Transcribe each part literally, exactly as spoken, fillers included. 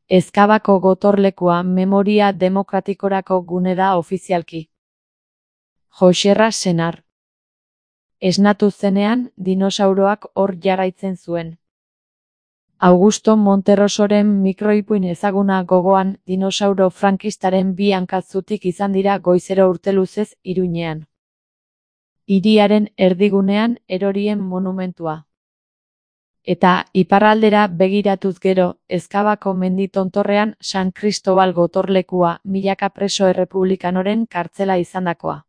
Ezkabako gotorlekua memoria demokratikorako gune da ofizialki. Joxerra senar. Esnatu zenean, dinosauroak hor jarraitzen zuen. Augusto Monterrosoren mikroipuin ezaguna gogoan, dinosauro frankistaren bi hankatzutik izan dira goizero urteluzez Iruñean. Hiriaren erdigunean erorien monumentua. Eta iparraldera begiratuz gero, Ezkabako mendi tontorrean San Cristobal gotorlekua milaka preso errepublikanoren kartzela izandakoa.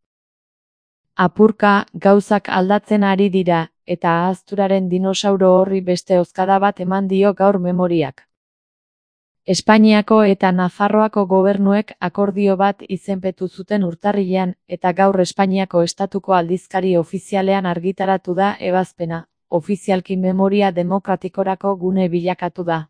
Apurka, gauzak aldatzen ari dira, eta ahazturaren dinosauro horri beste hozkada bat eman dio gaur memoriak. Espainiako eta Nafarroako gobernuek akordio bat izenpetu zuten urtarrilean, eta gaur Espainiako estatuko aldizkari ofizialean argitaratu da ebazpena, ofizialki memoria demokratikorako gune bilakatu da.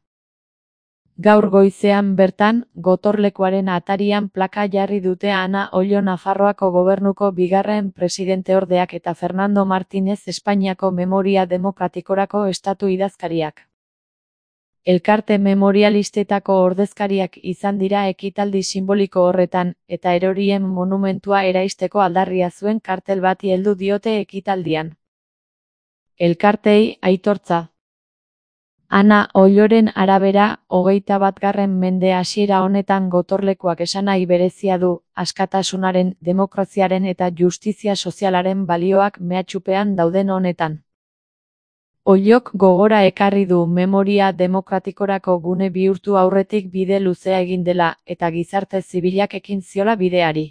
Gaur goizean bertan, gotorlekuaren atarian plaka jarri dute Ana Ollo Nafarroako gobernuko bigarren presidenteordeak eta Fernando Martínez Espainiako memoria demokratikorako estatu idazkariak. Elkarte memorialistetako ordezkariak izan dira ekitaldi simboliko horretan, eta erorien monumentua eraisteko aldarria zuen kartel bati heldu diote ekitaldian. Elkartei aitortza. Ana Olloren arabera, hogeita batgarren mende hasiera honetan gotorlekuak esanahi berezia du, askatasunaren, demokraziaren eta justizia sozialaren balioak mehatxupean dauden honetan. Ollok gogora ekarri du memoria demokratikorako gune bihurtu aurretik bide luzea egin dela, eta gizarte zibilak ekin ziola bideari.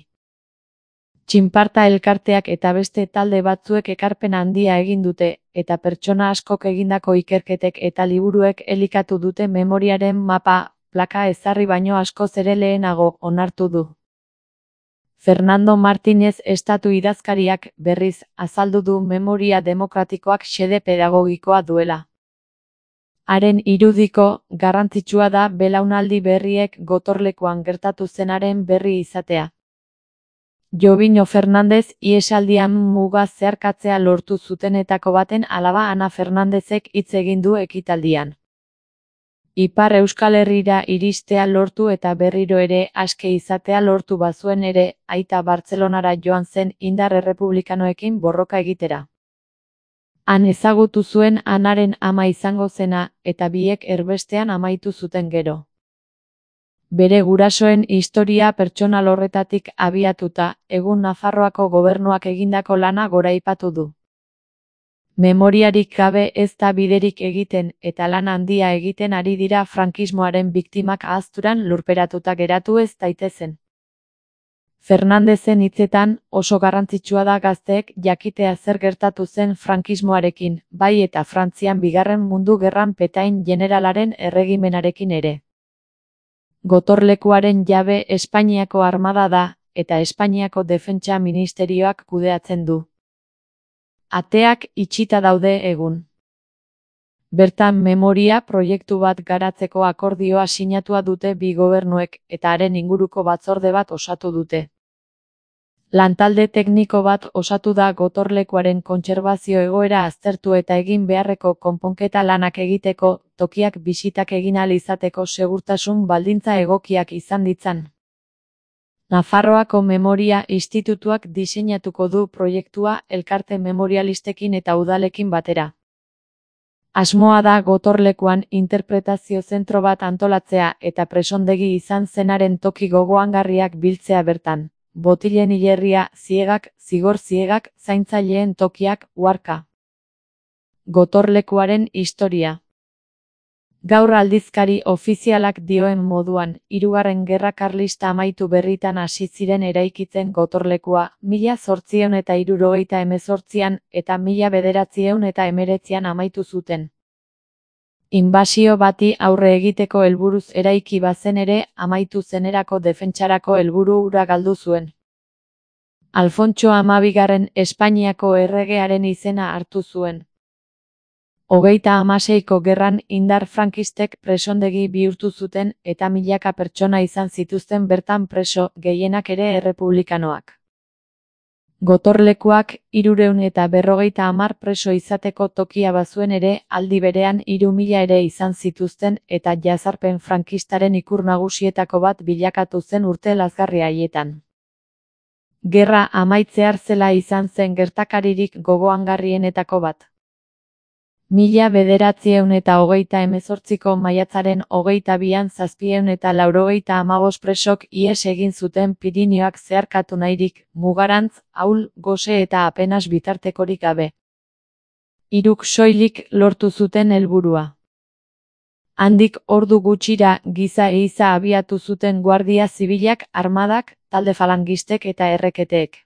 Txinparta elkarteak eta beste talde batzuek ekarpen handia egin dute, eta pertsona askok egindako ikerketek eta liburuek elikatu dute memoriaren mapa, plaka ezarri baino askoz ere lehenago onartu du. Fernando Martínez estatu idazkariak, berriz, azaldu du memoria demokratikoak xede pedagogikoa duela. Haren irudiko, garrantzitsua da belaunaldi berriek gotorlekuan gertatu zenaren berri izatea. Jobino Fernandez ihesaldian muga zeharkatzea lortu zutenetako baten alaba Ana Fernandezek hitz egin du ekitaldian. Ipar Euskal Herrira iristea lortu eta berriro ere aske izatea lortu bazuen ere, aita Bartzelonara joan zen indar errepublikanoekin borroka egitera. Han ezagutu zuen Anaren ama izango zena, eta biek erbestean amaitu zuten gero. Bere gurasoen historia pertsonal horretatik abiatuta, egun Nafarroako gobernuak egindako lana goraipatu du. Memoriarik gabe ez da biderik egiten eta lan handia egiten ari dira frankismoaren biktimak ahazturan lurperatuta geratu ez daitezen. Fernandezen hitzetan, oso garrantzitsua da gazteek jakitea zer gertatu zen frankismoarekin, bai eta Frantzian bigarren mundu gerran Petain generalaren erregimenarekin ere. Gotorlekuaren jabe Espainiako armada da, eta Espainiako defentsa ministerioak kudeatzen du. Ateak itxita daude egun. Bertan memoria proiektu bat garatzeko akordioa sinatua dute bi gobernuek, eta haren inguruko batzorde bat osatu dute. Lantalde tekniko bat osatu da gotorlekuaren kontserbazio egoera aztertu eta egin beharreko konponketa lanak egiteko, tokiak bisitak egin ahal izateko segurtasun baldintza egokiak izan ditzan. Nafarroako Memoria Institutuak diseinatuko du proiektua elkarte memorialistekin eta udalekin batera. Asmoa da gotorlekuan interpretazio zentro bat antolatzea eta presondegi izan zenaren toki gogoangarriak biltzea bertan. Botilen hilerria, ziegak, zigor ziegak, zaintzaileen tokiak, uharka. Gotorlekuaren historia. Gaur aldizkari ofizialak dioen moduan, hirugarren gerra karlista amaitu berritan hasi ziren eraikitzen gotorlekua, mila zortziehun eta hirurogeita hemezortzian eta mila bederatziehun eta hemeretzian amaitu zuten. Inbasio bati aurre egiteko helburuz eraiki bazen ere, amaitu zenerako defentsarako helburu hura galdu zuen. Alfontso hamabigarren Espainiako erregearen izena hartu zuen. Hogeita hamaseiko gerran indar frankistek presondegi bihurtu zuten eta milaka pertsona izan zituzten bertan preso, gehienak ere errepublikanoak. Gotorlekuak hirurehun eta berrogeita hamar preso izateko tokia bazuen ere, aldi berean hiru mila ere izan zituzten eta jazarpen frankistaren ikur nagusietako bat bilakatu zen urte lazgarri haietan. Gerra amaitzear zela izan zen gertakaririk gogoangarrienetako bat. Mila bederatziehun eta hogeita hemezortziko maiatzaren hogeita bian zazpiehun eta laurogeita hamabost presok ihes egin zuten Pirinioak zeharkatu nahirik, mugarantz, ahul, gose eta apenas bitartekorik gabe. Hiruk soilik lortu zuten helburua. Handik ordu gutxira giza ehiza abiatu zuten guardia zibilak, armadak, talde falangistek eta erreketeek.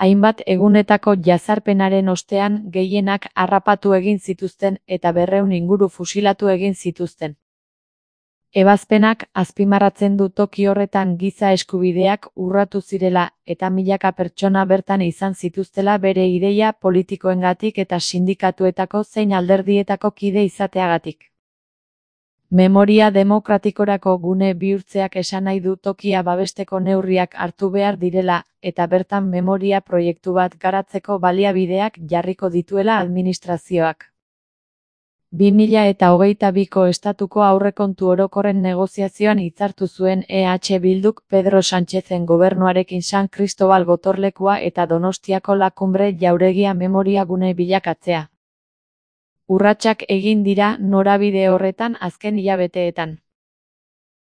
Hainbat egunetako jazarpenaren ostean gehienak harrapatu egin zituzten eta berrehun inguru fusilatu egin zituzten. Ebazpenak azpimarratzen du toki horretan giza eskubideak urratu zirela eta milaka pertsona bertan izan zituztela bere ideia politikoengatik eta sindikatuetako zein alderdietako kide izateagatik. Memoria demokratikorako gune bihurtzeak esan nahi du tokia babesteko neurriak hartu behar direla, eta bertan memoria proiektu bat garatzeko baliabideak jarriko dituela administrazioak. bi mila eta hogeita biko estatuko aurrekontu orokorren negoziazioan hitzartu zuen E H Bilduk Pedro Sánchezen gobernuarekin San Cristobal gotorlekua eta Donostiako Lakumbre jauregia memoria gune bilakatzea. Urratsak egin dira norabide horretan azken hilabeteetan.